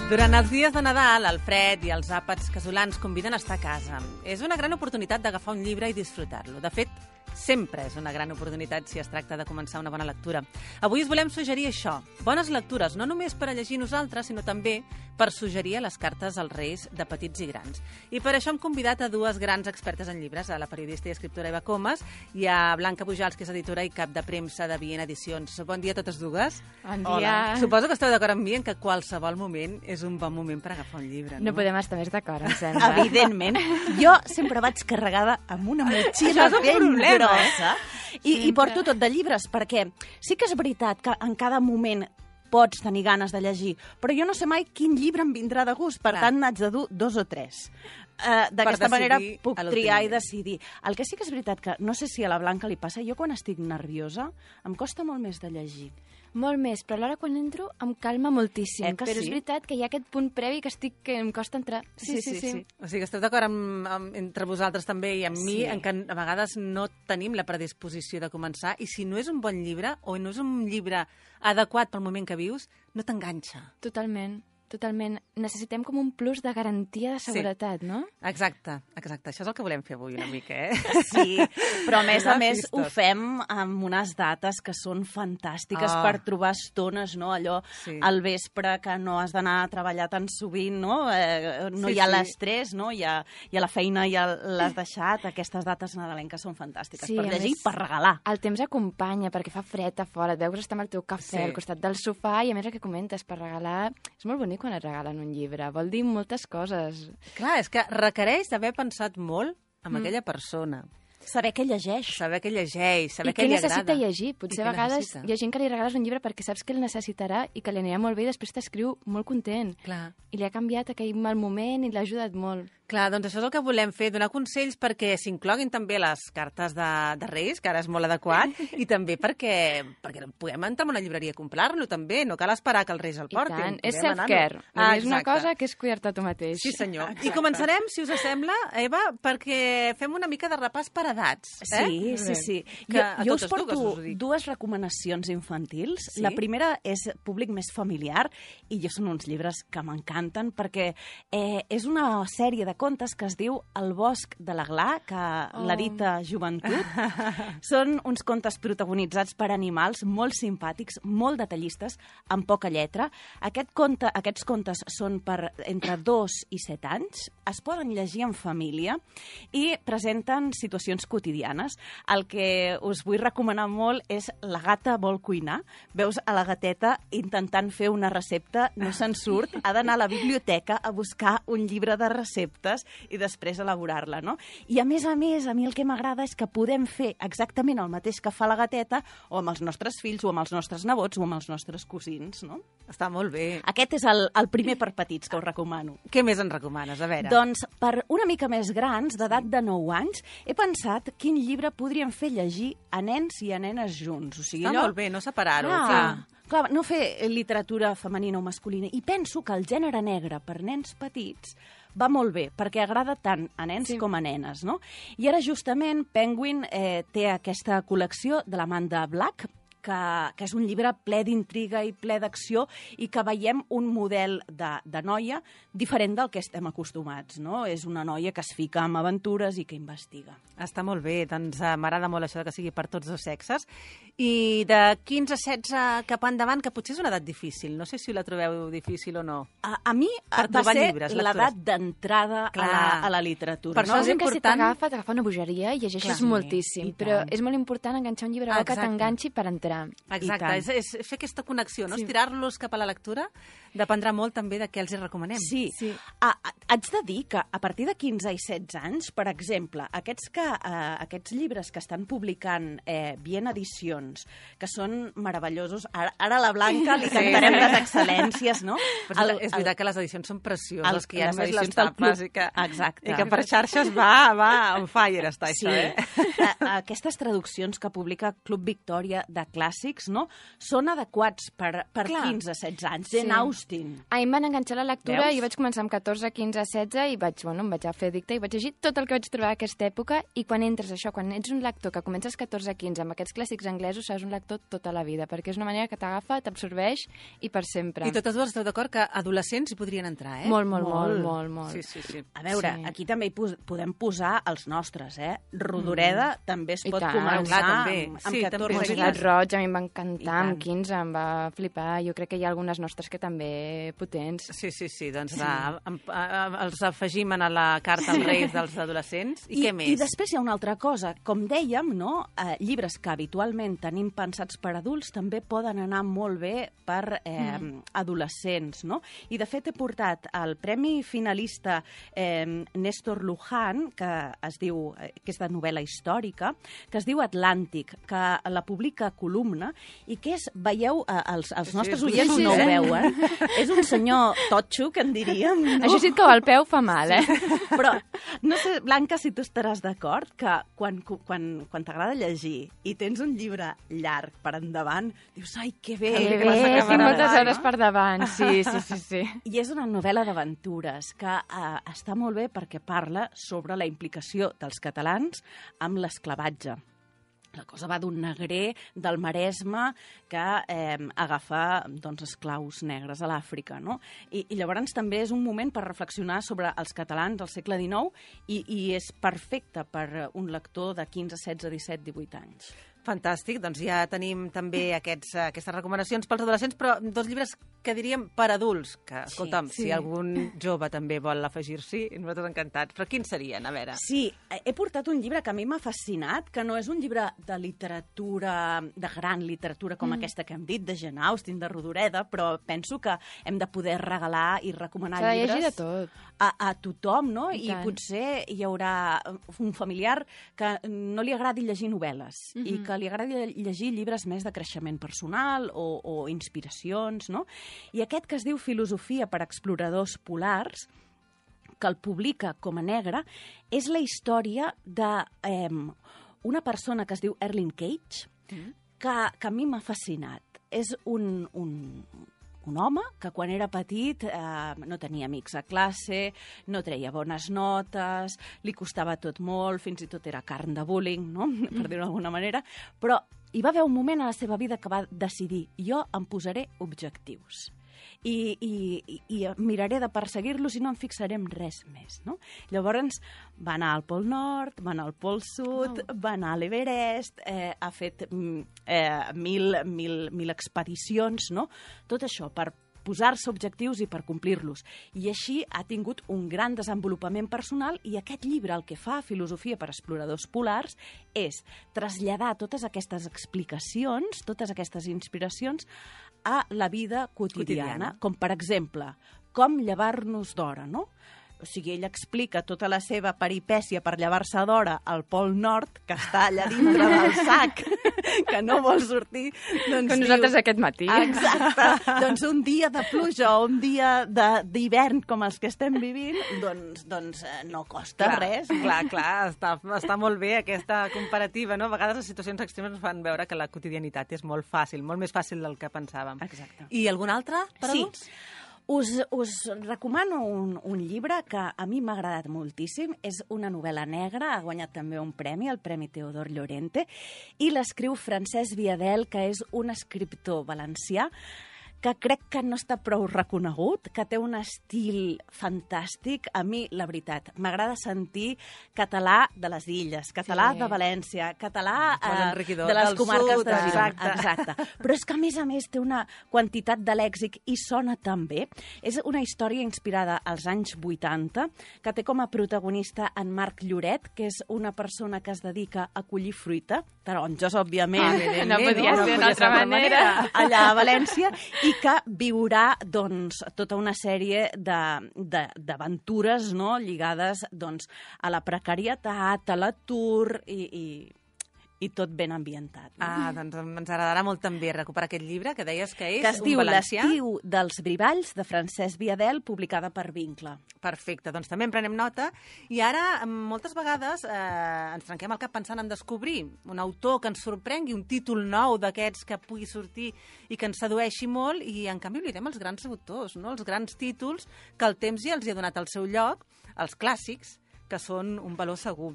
Durant els dies de Nadal, el fred i els àpats casolans conviden a estar a casa. És una gran oportunitat d'agafar un llibre i disfrutar-lo. De fet, sempre és una gran oportunitat si es tracta de començar una bona lectura. Avui us volem suggerir això, bones lectures, no només per a llegir nosaltres, sinó també per suggerir a les cartes als reis de petits i grans. I per això hem convidat a dues grans expertes en llibres, a la periodista i escriptora Eva Comas i a Blanca Pujals, que és editora i cap de premsa de Viena Edicions. Bon dia a totes dues. Bon dia. Suposo que esteu d'acord amb mi en que qualsevol moment és un bon moment per agafar un llibre, no? No podem estar més d'acord, em sembla. Evidentment. Jo sempre vaig carregada amb una motxilla ben grossa i porto tot de llibres, perquè sí que és veritat que en cada moment pots tenir ganes de llegir, però jo no sé mai quin llibre em vindrà de gust, per tant n'haig de dur 2 o 3. D'aquesta manera puc triar i decidir. El que sí que és veritat que, no sé si a la Blanca li passa, jo quan estic nerviosa em costa molt més de llegir. Molt més, però alhora quan entro em calma moltíssim. Que però sí? és veritat que hi ha aquest punt previ que em costa entrar. Sí. O sigui, esteu d'acord entre vosaltres també i amb mi en que a vegades no tenim la predisposició de començar i si no és un bon llibre o no és un llibre adequat pel moment que vius, no t'enganxa. Totalment. Necessitem com un plus de garantia de seguretat, no? Exacte. Això és el que volem fer avui una mica, Sí, però a més ho fem amb unes dates que són fantàstiques per trobar estones, no? Allò al vespre que no has d'anar a treballar tan sovint, no? No hi ha l'estrès, no? Hi ha la feina i l'has deixat. Aquestes dates nadalenques són fantàstiques per llegir i per regalar. El temps acompanya perquè fa fred a fora, et veus estar amb el teu cafè al costat del sofà i a més el que comentes, per regalar és molt bonic quan et regalen un llibre. Vol dir moltes coses. Clar, és que requereix d'haver pensat molt amb aquella persona. Saber què llegeix. Saber què li agrada. I què necessita llegir. Potser a vegades hi ha gent que li regales un llibre perquè saps que el necessitarà i que li anirà molt bé i després t'escriu molt content. Clar. I li ha canviat aquell mal moment i l'ha ajudat molt. Clar, doncs això és el que volem fer, donar consells perquè s'incloguin també les cartes de Reis, que ara és molt adequat, i també perquè puguem entrar en una llibreria a comprar-lo també, no cal esperar que els Reis el portin. I tant, és self-care. És una cosa que és cuidar-te tu mateix. Sí, senyor. I començarem, si us sembla, Eva, perquè fem una mica de repàs per edats. Sí. Jo us porto 2 recomanacions infantils. La primera és públic més familiar i jo són uns llibres que m'encanten perquè és una sèrie de contes que es diu El bosc de l'Aglà, que l'edita Joventut. Són uns contes protagonitzats per animals molt simpàtics, molt detallistes, amb poca lletra. Aquests contes són per entre 2 i 7 anys, es poden llegir en família i presenten situacions quotidianes. El que us vull recomanar molt és La gata vol cuinar. Veus a la gateta intentant fer una recepta, no se'n surt, ha d'anar a la biblioteca a buscar un llibre de receptes i després elaborar-la, no? I a mi el que m'agrada és que podem fer exactament el mateix que fa la gateta o amb els nostres fills, o amb els nostres nebots, o amb els nostres cosins, no? Està molt bé. Aquest és el primer per petits que us recomano. Què més en recomanes? A veure. Doncs per una mica més grans, d'edat de 9 anys, he pensat quin llibre podríem fer llegir a nens i a nenes junts. O sigui, està molt bé, no separar-ho. Clar, no fer literatura femenina o masculina. I penso que el gènere negre per nens petits va molt bé, perquè agrada tant a nens com a nenes, no? I ara, justament, Penguin té aquesta col·lecció de l'Amanda Black, que és un llibre ple d'intriga i ple d'acció i que veiem un model de noia diferent del que estem acostumats, no? És una noia que es fica en aventures i que investiga. Està molt bé, doncs m'agrada molt això que sigui per tots 2 sexes. I de 15 a 16 cap endavant, que potser és una edat difícil, no sé si la trobeu difícil o no. A mi va ser l'edat d'entrada a la literatura. Per això és que si t'agafa una bogeria i llegeixes moltíssim, però és molt important enganxar un llibre que t'enganxi per entrar. Exacte, és fer aquesta connexió, no? Estirar-los cap a la lectura dependrà molt també de què els hi recomanem. Sí. Haig de dir que a partir de 15 i 16 anys, per exemple, aquests llibres que estan publicant Viena Edicions, que són meravellosos, ara a la Blanca li cantarem les excel·lències, no? És veritat que les edicions són precioses, que hi ha més les tapes i que per xarxes va on fire està això, Aquestes traduccions que publica Club Victòria de clàssics clàssics, no? Són adequats per 15-16 anys. Jane Austen. A mi em van enganxar la lectura, jo vaig començar amb 14, 15, 16 i em vaig a fer dicta i vaig llegir tot el que vaig trobar a aquesta època, i quan entres quan ets un lector que comences 14, 15 amb aquests clàssics anglesos, seràs un lector tota la vida, perquè és una manera que t'agafa, t'absorbeix i per sempre. I totes dues esteu d'acord que adolescents hi podrien entrar, eh? Molt. Sí. A veure, aquí també hi podem posar els nostres, eh? Rodoreda també es pot començar amb 14 anys. El Roig a mi em va encantar, amb 15 em va flipar. Jo crec que hi ha algunes nostres que també potents. Sí, doncs els afegim a la carta als Reis dels adolescents. I què més? I després hi ha una altra cosa. Com dèiem, no? Llibres que habitualment tenim pensats per adults també poden anar molt bé per adolescents, no? I de fet he portat el Premi Finalista Néstor Luján, que és de novel·la històrica, que es diu Atlàntic, que la publica Columna, i que és, veieu, els nostres oients no ho veuen, és un senyor totxo, que en diríem. No? Això sí que al peu fa mal, eh? Però no sé, Blanca, si tu estaràs d'acord que quan t'agrada llegir i tens un llibre llarg per endavant, dius, ai, que bé! Tinc moltes hores per davant, sí. I és una novel·la d'aventures que està molt bé perquè parla sobre la implicació dels catalans amb l'esclavatge. La cosa va d'un negrer del Maresme que agafa esclaus negres a l'Àfrica, no? I llavors també és un moment per reflexionar sobre els catalans del segle XIX i és perfecte per un lector de 15, 16, 17, 18 anys. Fantàstic, doncs ja tenim també aquestes recomanacions pels adolescents, però dos llibres que diríem per adults, que, escolta'm, si algun jove també vol afegir-s'hi, nosaltres encantats. Però quins serien, a veure? Sí, he portat un llibre que a mi m'ha fascinat, que no és un llibre de literatura, de gran literatura com aquesta que hem dit, de Jane Austen, de Rodoreda, però penso que hem de poder regalar i recomanar llibres a tothom, no? I potser hi haurà un familiar que no li agradi llegir novel·les i que li agradi llegir llibres més de creixement personal o inspiracions, no? I aquest que es diu Filosofia per a exploradors polars, que el publica com a Negre, és la història d'una persona que es diu Erling Cage, que a mi m'ha fascinat. És un home que quan era petit no tenia amics a classe, no treia bones notes, li costava tot molt, fins i tot era carn de bullying, no? Per dir-ho d'alguna manera, però hi va haver un moment a la seva vida que va decidir, jo em posaré objectius i miraré de perseguir-los i no em fixaré en res més, no? Llavors va anar al Pol Nord, va anar al Pol Sud, va anar a l'Everest, ha fet 1.000 expedicions, no? Tot això per posar-se objectius i per complir-los. I així ha tingut un gran desenvolupament personal i aquest llibre el que fa, Filosofia per a exploradors polars, és traslladar totes aquestes explicacions, totes aquestes inspiracions a la vida quotidiana. Com, per exemple, com llevar-nos d'hora, no? O sigui, ell explica tota la seva peripècia per llevar-se d'hora al Pol Nord, que està allà dintre del sac, que no vol sortir. Doncs com nosaltres aquest matí. Exacte. Doncs un dia de pluja o un dia d'hivern com els que estem vivint, doncs no costa res. Clar, està molt bé aquesta comparativa, no? A vegades les situacions extremes ens fan veure que la quotidianitat és molt fàcil, molt més fàcil del que pensàvem. Exacte. I algun altre per adults? Us recomano un llibre que a mi m'ha agradat moltíssim. És una novel·la negra, ha guanyat també un premi, el Premi Teodor Llorente, i l'escriu Francesc Viadel, que és un escriptor valencià que crec que no està prou reconegut, que té un estil fantàstic. A mi, la veritat, m'agrada sentir català de les Illes, català de València, català de les comarques de Girona. Exacte. Però és que, a més, té una quantitat de lèxic i sona tan bé. És una història inspirada als anys 80, que té com a protagonista en Marc Lloret, que és una persona que es dedica a collir fruita, taronges, òbviament. No podia ser d'una altra manera. Allà a València, i que viurà tota una sèrie d'aventures, no? Lligades a la precarietat, a l'atur i tot ben ambientat. Doncs ens agradarà molt també recuperar aquest llibre que deies que és que es un diu valencià. L'estiu dels Brivalls, de Francesc Viadel, publicada per Vincle. Perfecte, doncs també en prenem nota. I ara, moltes vegades, ens trenquem el cap pensant en descobrir un autor que ens sorprengui, un títol nou d'aquests que pugui sortir i que ens sedueixi molt, i en canvi oblidem els grans autors, no? Els grans títols que el temps ja els hi ha donat el seu lloc, els clàssics, que són un valor segur.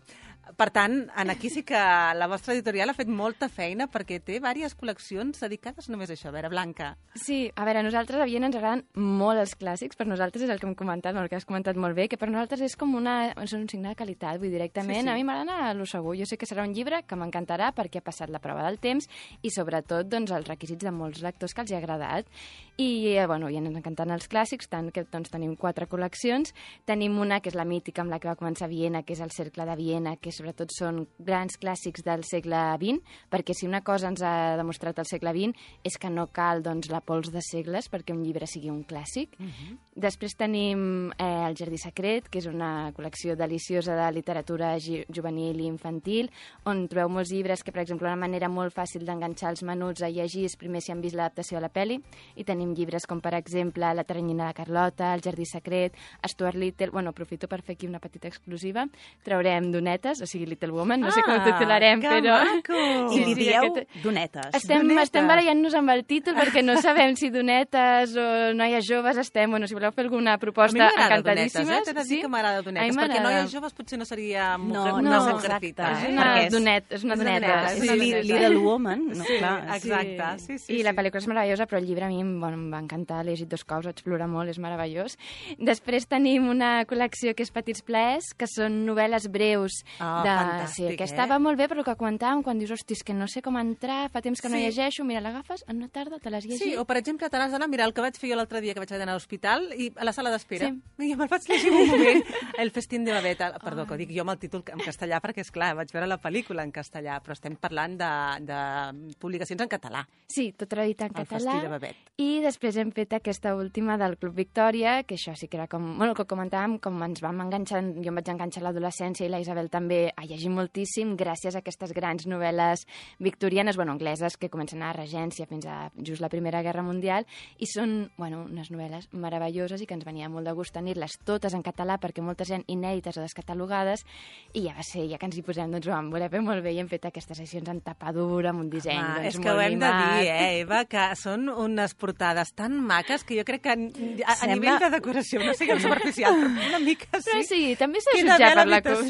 Per tant, aquí sí que la vostra editorial ha fet molta feina perquè té diverses col·leccions dedicades només a això. A veure, Blanca. Sí, a veure, a nosaltres a Viena ens agraden molt els clàssics, per nosaltres és el que hem comentat, el que has comentat molt bé, que per nosaltres és com és un signe de qualitat, vull dir, directament. Sí. A mi m'agrada lo segur. Jo sé que serà un llibre que m'encantarà perquè ha passat la prova del temps i sobretot doncs, els requisits de molts lectors que els hi ha agradat. I, bueno, i ens encanten els clàssics, tant que doncs, tenim 4 col·leccions. Tenim una que és la mítica amb la que va començar Viena, que és el Cercle de Viena, que sobretot són grans clàssics del segle XX, perquè si una cosa ens ha demostrat el segle XX és que no cal doncs, la pols de segles perquè un llibre sigui un clàssic. Després tenim El Jardí Secret, que és una col·lecció deliciosa de literatura juvenil i infantil, on trobeu molts llibres que, per exemple, una manera molt fàcil d'enganxar els menuts a llegir és primer si han vist l'adaptació a la pel·li, i tenim llibres com, per exemple, La teranyina de Carlota, El Jardí Secret, Stuart Little. Bueno, aprofito per fer aquí una petita exclusiva. Traurem Donetes, o sigui, Little Woman, no sé com ho titularem, però... Maco! I li dieu Donetes. Estem barallant-nos amb el títol perquè no sabem si Donetes o Noies Joves estem, bueno, si voleu fer alguna proposta, encantadíssimes. T'he de dir que m'agrada Donetes, perquè Noies Joves potser no seria exacte. És una doneta. Little Woman, no? Sí, Clar. exacte. Sí. I la pel·lícula és meravellosa, però el llibre a mi em va encantar, l'he llegit 2 cops, vaig plorar molt, és meravellós. Després tenim una col·lecció que és Petits plaers, que són novel·les breus. Fantàstic, que estava molt bé, però que comentàvem quan dius, hosti, és que no sé com entrar, fa temps que no llegeixo, mira, l'agafes en una tarda, te l'has llegit. Sí, o per exemple, te n'has d'anar, mira, el que vaig fer jo l'altre dia que vaig anar a l'hospital i a la sala d'espera. Sí. I me'l vaig llegir un moment, El festín de Babette. Perdó, que ho dic jo amb el títol en castellà, perquè, és clar, vaig veure la pel·lícula en castellà, però estem parlant de publicacions en català. Sí, tot traduït en català. El festí de Babette. I després hem fet aquesta última del Club Victòria, que això sí que era com... Bueno, que comentàvem, com ens vam enganxar, jo em vaig enganxar a l'adolescència i la Isabel també a llegir moltíssim gràcies a aquestes grans novel·les victorianes, bueno, angleses, que comencen a la Regència fins a just la Primera Guerra Mundial, i són, bueno, unes novel·les meravelloses i que ens venia molt de gust tenir-les totes en català perquè moltes eren inèdites o descatalogades, i ja va ser, ja que ens hi posem, doncs ho vam voler fer molt bé i hem fet aquestes edicions en tapa dura, amb un disseny doncs, molt mimat. És que ho hem de dir, Eva, que són unes portades tan maques que jo crec que a nivell de decoració, no siguem superficial, però una mica sí. Però sí, també s'ha jutjat per la cosa.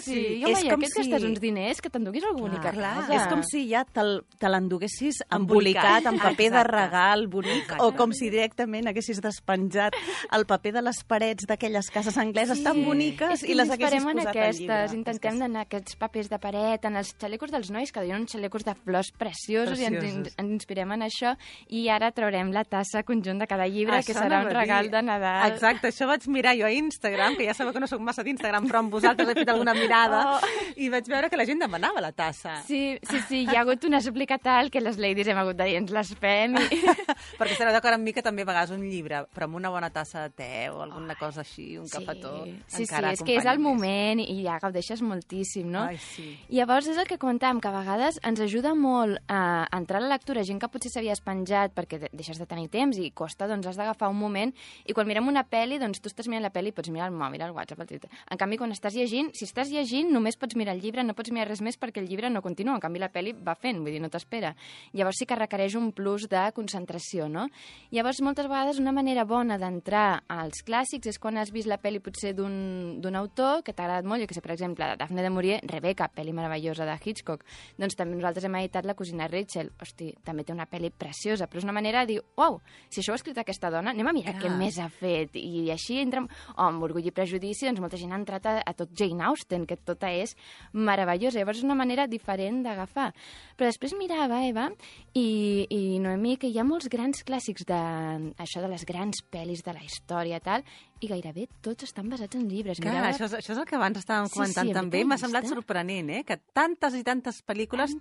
Sí. Jo, Maia, que et gastes uns diners, que t'enduguis algú bonic a casa. És com si ja te l'enduguessis embolicat en paper de regal bonic, o com si directament haguessis despenjat el paper de les parets d'aquelles cases angleses tan boniques i les haguessis posat al llibre. Intentem d'anar aquests papers de paret, en els xalecos dels nois, que diuen uns xalecos de flors preciosos, i ens inspirem en això, i ara traurem la tassa conjunt de cada llibre, que serà un regal de Nadal. Exacte, això vaig mirar jo a Instagram, que ja sabeu que no soc massa d'Instagram, però amb vosaltres he fet alguna mirada, i vaig veure que la gent demanava la tassa. Sí, hi ha hagut una súplica tal que les ladies hem hagut de dir, ens les fem. Perquè estareu d'acord amb mi que també a vegades un llibre, però amb una bona tassa de te o alguna cosa així, un cafetó, encara és que és el moment i ja gaudeixes moltíssim, no? Ai, sí. I llavors és el que comentàvem, que a vegades ens ajuda molt a entrar a la lectura, gent que potser s'havia espenjat perquè deixes de tenir temps i costa, doncs has d'agafar un moment, i quan mirem una pel·li, doncs tu estàs mirant la pel·li i pots mirar el mòbil, el WhatsApp, el Twitter. En canvi, quan estàs llegint, si estàs llegint, només pots mirar el llibre, no pots mirar res més perquè el llibre no continua, en canvi la pel·li va fent, vull dir, no t'espera. Llavors sí que requereix un plus de concentració, no? Llavors, moltes vegades, una manera bona d'entrar als clàssics és quan has vist la pel·li potser d'un autor que t'ha agradat molt, jo que sé, per exemple, Daphne de Maurier, Rebecca, pel·li meravellosa de Hitchcock. Doncs també nosaltres hem editat La cosina Rachel. Hosti, també té una pel·li preciosa, però és una manera de dir, uau, si això ho ha escrit aquesta dona, anem a mirar què més ha fet. I així entra amb Orgull i Prejudici, doncs molta gent ha entrat a tot Jane Austen, que tota és meravellosa. Llavors és una manera diferent d'agafar. Però després mirava, Eva, i Noemí, que hi ha molts grans clàssics això de les grans pel·lis de la història i tal, i gairebé tots estan basats en llibres. Clar, això és el que abans estàvem comentant també. M'ha semblat sorprenent, que tantes i tantes pel·lícules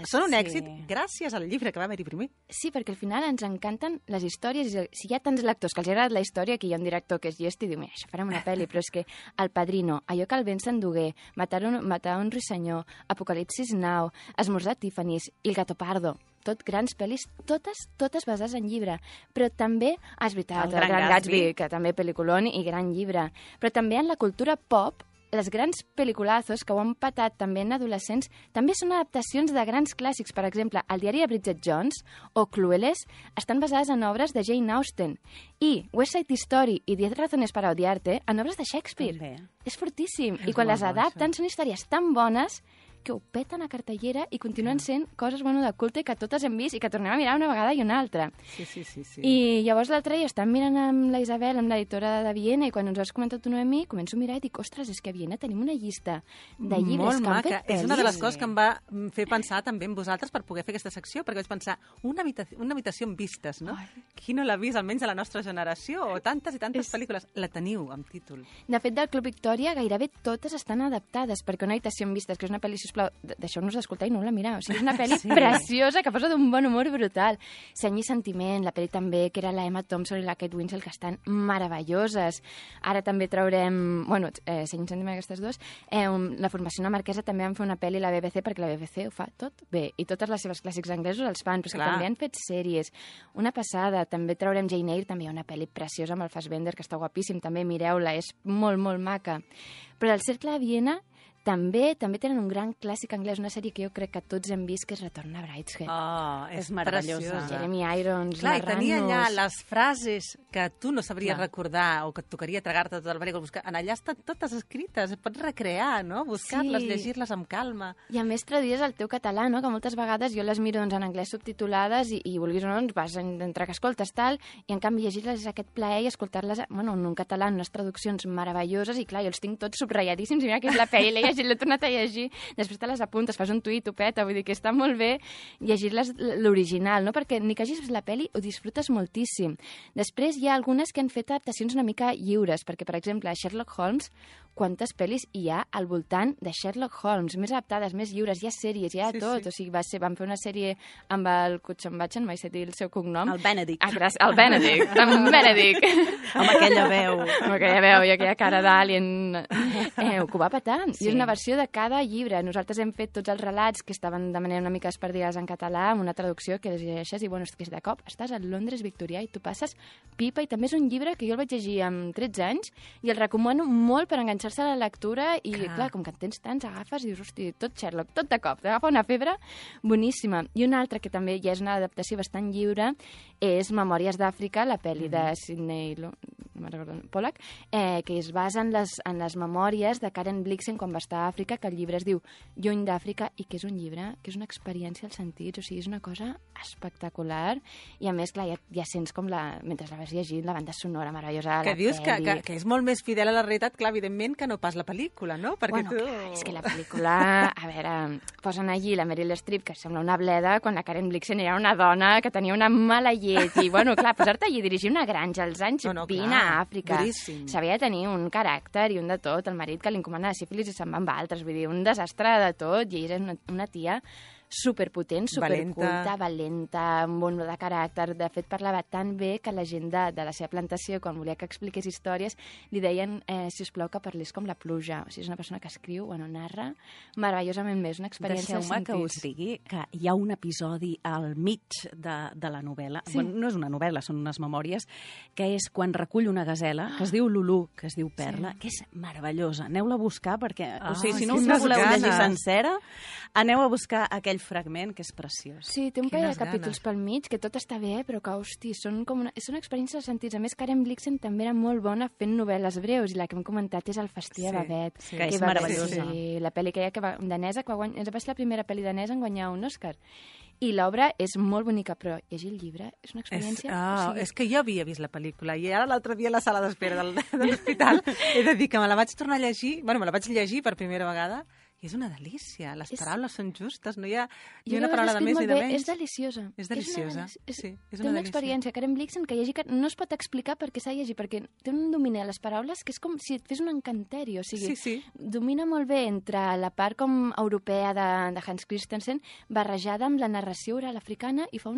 són un èxit gràcies al llibre que va haver-hi primer. Sí, perquè al final ens encanten les històries. Si hi ha tants lectors que els agrada la història, que hi ha un director que és llest i diu, això farem una pel·li, però és que El Padrino, allò que el vent s'endugué, Matar un ruissenyor, Apocalipsis Now, Esmorzar a Tiffany's i El Gato Pardo, tot grans pel·lis, totes basades en llibre. Però també, és veritat, el Gran Gatsby, que també pel·liculón i gran llibre. Però també en la cultura pop, les grans pel·liculazos que ho han patat també en adolescents també són adaptacions de grans clàssics. Per exemple, El diari de Bridget Jones o Clueless estan basades en obres de Jane Austen. I West Side Story i 10 razones para odiarte en obres de Shakespeare. També. És fortíssim. I quan les adapten són històries tan bones que ho peten a cartellera i continuen sent coses de culte que totes hem vist i que tornem a mirar una vegada i una altra. Sí. I llavors l'altre dia estàvem mirant amb la Isabel, amb l'editora de Viena, i quan ens ho has comentat tu, Noemí, començo a mirar i dic, ostres, és que a Viena tenim una llista de llibres que han fet pel·lis. És una de les coses que em va fer pensar també en vosaltres per poder fer aquesta secció, perquè vaig pensar, una habitació amb vistes, no? Qui no l'ha vist, almenys de la nostra generació? O tantes i tantes pel·lícules. La teniu, amb títol. De fet, del Club Victòria gairebé totes estan adaptades, perquè una habitació amb vistes, que és una pel·li, sisplau, deixeu-nos d'escoltar i no la mireu. O sigui, és una pel·li preciosa que posa d'un bon humor brutal. Seny i sentiment, la pel·li també, que era la Emma Thompson i la Kate Winslet, que estan meravelloses. Ara també traurem, Seny i sentiment, aquestes dues. La formació una marquesa també van fer una pel·li a la BBC, perquè la BBC ho fa tot bé. I totes les seves clàssics anglesos els fan, però que també han fet sèries. Una passada, també traurem Jane Eyre, també hi ha una pel·li preciosa amb el Fassbender, que està guapíssim, també mireu-la, és molt, molt maca. Però el Cercle de Viena també tenen un gran clàssic anglès, una sèrie que jo crec que tots hem vist, que és Retorn a Brideshead. És meravellosa. Jeremy Irons, clar, narrant-nos... i tenia allà les frases que tu no sabries recordar o que et tocaria tragar-te tot el barri. Allà estan totes escrites, pots recrear, no? Buscar-les, llegir-les amb calma. I a més traduïdes al teu català, no? Que moltes vegades jo les miro en anglès subtitulades i vulguis o no, vas entre que escoltes tal, i en canvi llegir-les és aquest plaer i escoltar-les en un català, en unes traduccions meravelloses, i clar, jo els tinc tots subratlladíssims, i mira que és la pel·li, l'he llegit, l'he tornat a llegir, després te les apuntes, fas un tuit, ho peta, vull dir que està molt bé llegir-les l'original, no? Perquè ni que hagis vist la pel·li ho disfrutes moltíssim. Després hi ha algunes que han fet adaptacions una mica lliures, perquè, per exemple, a Sherlock Holmes, quantes pel·lis hi ha al voltant de Sherlock Holmes, més adaptades, més lliures, hi ha sèries, hi ha tot, o sigui, van fer una sèrie amb el Cutchambatchen, mai sé dir el seu cognom. El Benedict. El Benedict, amb Benedict. Amb aquella veu. Amb aquella veu i aquella cara d'alien. Que ho va petar. I és una versió de cada llibre. Nosaltres hem fet tots els relats que estaven de manera una mica espardides en català, amb una traducció que les llegeixes i, és que de cop estàs a Londres victorià i tu passes pipa, i també és un llibre que jo el vaig llegir amb 13 anys i el recomano molt per enganxar-se a la lectura i, clar, com que en tens tants, agafes i dius, hosti, tot Sherlock, tot de cop, t'agafa una febre boníssima. I una altra que també ja és una adaptació bastant lliure és Memòries d'Àfrica, la pel·li de Sidney Pollack, que es basa en les memòries de Karen Blixen quan va estar a Àfrica, que el llibre es diu Lluny d'Àfrica, i que és un llibre que és una experiència als sentits, o sigui, és una cosa espectacular, i a més, clar, ja sents com mentre la vas llegint, la banda sonora meravellosa, que dius que és molt més fidel a la realitat, clar, evidentment, que no pas la pel·lícula, no? Perquè clar, és que la pel·lícula, a veure, posen allí la Meryl Streep, que sembla una bleda, quan la Karen Blixen era una dona que tenia una mala llet, i, clar, posar-te allí a dirigir una granja als anys 20 a Àfrica, s'havia de tenir un caràcter i un de tot, el marit que li encomana sífilis i se'n va amb altres, vull dir, un desastre de tot, i era una tia superpotent, superculta, valenta, amb bon de caràcter. De fet, parlava tan bé que la gent de la seva plantació, quan volia que expliqués històries, li deien, si us plau, que parlés com la pluja. O sigui, és una persona que escriu, narra meravellosament més, una experiència dels sentits. Deixeu-me que us digui que hi ha un episodi al mig de la novel·la. Sí. Bueno, no és una novel·la, són unes memòries, que és quan recull una gasela, que es diu Lulú, que es diu Perla, que és meravellosa. Aneu-la a buscar, perquè, si no us la voleu llegir sencera, aneu a buscar aquell fragment, que és preciós. Sí, té un parell de capítols pel mig, que tot està bé, però que, hosti, són una experiència de sentits. A més, Karen Blixen també era molt bona fent novel·les breus, i la que hem comentat és El Festí de Babet. Que és meravellosa. Sí, la pel·li que danesa, que va ser la primera pel·li danesa en guanyar un Òscar. I l'obra és molt bonica, però llegir el llibre és una experiència... És que jo havia vist la pel·lícula, i ara l'altre dia a la sala d'espera de l'hospital he de dir que me la vaig tornar a llegir, me la vaig llegir per primera vegada, I és una delícia. Les paraules són justes, no hi ha una paraula de més ni de menys. És deliciosa. És deliciosa, sí, és una delícia. Té una experiència, Karen Blixen, que llegir, no es pot explicar perquè s'ha de llegir, perquè té un domini a les paraules que és com si et fes un encanteri, o sigui, domina molt bé entre la part com europea de Hans Christensen, barrejada amb la narració oral africana, i fa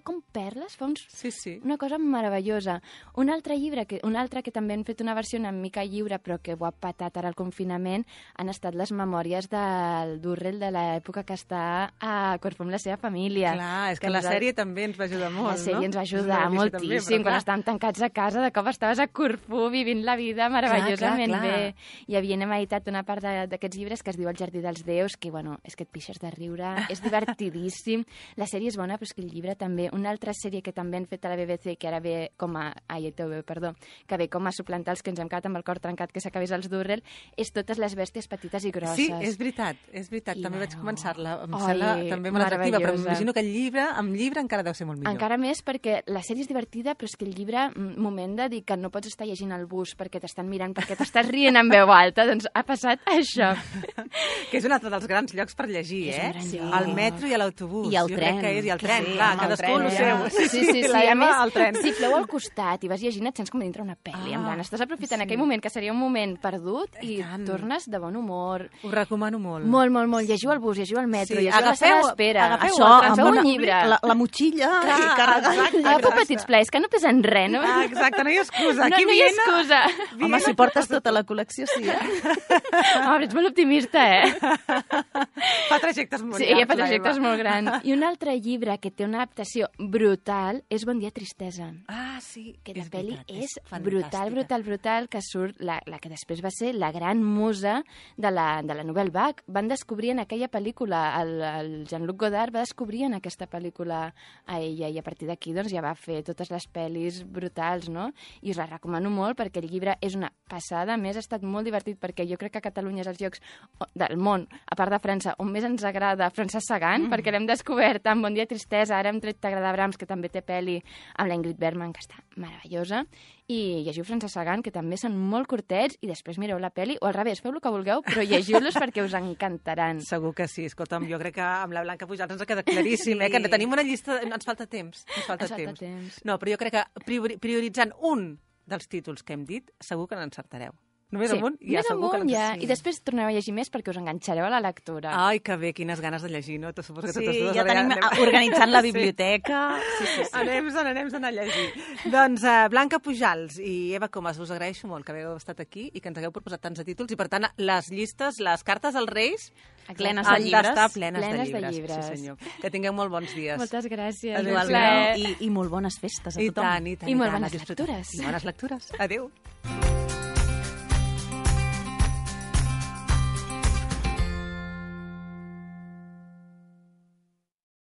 com perles, fa una cosa meravellosa. Un altre que també han fet una versió una mica lliure, però que ho ha patat ara al confinament, han estat les memòries del Durrell de l'època que està a Corfú amb la seva família. Clar, és que la sèrie també ens va ajudar molt, no? La sèrie ens va ajudar moltíssim. Quan estàvem tancats a casa, de cop estaves a Corfú vivint la vida meravellosament bé. I havien editat una part d'aquests llibres que es diu El jardí dels déus, que, bueno, és que et pixes de riure, és divertidíssim. La sèrie és bona, però és que el llibre també. Una altra sèrie que també han fet a la BBC, que ara ve com a... que ve com a suplantar els que ens hem quedat amb el cor trencat que s'acabés els Durrell, és Totes les bèsties petites i grosses. Sí, és veritat. També vaig començar-la. Em sembla també molt atractiva, però m'imagino que amb llibre encara deu ser molt millor. Encara més perquè la sèrie és divertida, però és que el llibre, moment de dir que no pots estar llegint al bus perquè t'estan mirant, perquè t'estàs rient en veu alta, doncs ha passat això. Que és un altre dels grans llocs per llegir, al metro i a l'autobús. I al tren. I al tren, clar, cadascú el seu. Sí, a més, si plou al costat i vas llegint, et sents com dintre una pel·li. Estàs aprofitant aquell moment, que seria un moment perdut, i tornes de bon humor. Ho recomano molt. Molt. Llegiu al bus, llegiu al metro, llegiu a la sala d'espera. Agafeu un llibre. La motxilla i carregar. Agafeu petits plaers, que no pesen res, no? Exacte, no hi ha excusa. No hi ha excusa. Home, si portes tota la col·lecció, sí. Home, ets molt optimista, Fa trajectes molt grans. Sí, fa trajectes molt grans. I un altre llibre que té una adaptació brutal és Bon dia, tristesa. Sí. Que la pel·li és brutal, que surt la que després va ser la gran musa de la Nouvelle Vague. Van descobrir en aquella pel·lícula, el Jean-Luc Godard va descobrir en aquesta pel·lícula a ella, i a partir d'aquí doncs, ja va fer totes les pel·lis brutals, no? I us la recomano molt perquè el llibre és una passada. A més, ha estat molt divertit perquè jo crec que Catalunya és els llocs del món, a part de França, on més ens agrada Francesc Sagan, perquè l'hem descobert amb Bon dia, tristesa, ara hem tret T'agrada Brahms, que també té pel·li, amb la Ingrid Bergman, que està meravellosa, i llegiu Francesc Sagan, que també són molt curtets, i després mireu la pel·li, o al revés, feu el que vulgueu, però llegiu-los perquè us encantaran. Segur que sí. Escolta'm, jo crec que amb la Blanca Pujals ens ha quedat claríssim, que tenim una llista... Ens falta temps. No, però jo crec que prioritzant un dels títols que hem dit, segur que n'encertareu. Només amunt, ja segur que l'encertareu. I després torneu a llegir més perquè us enganxareu a la lectura. Ai, que bé, quines ganes de llegir, no? Suposo que totes dues ja tenim organitzant la biblioteca. Sí. Anem a anar a llegir. Doncs Blanca Pujals i Eva Comas, us agraeixo molt que hagueu estat aquí i que ens hagueu proposat tants de títols, i per tant les llistes, les cartes als Reis plenes de llibres. Plenes de llibres. Sí, senyor. Que tingueu molt bons dies. Moltes gràcies. Igualment. I molt bones festes a tothom. I tant. I molt bones lectures. I bones lectures. Adéu.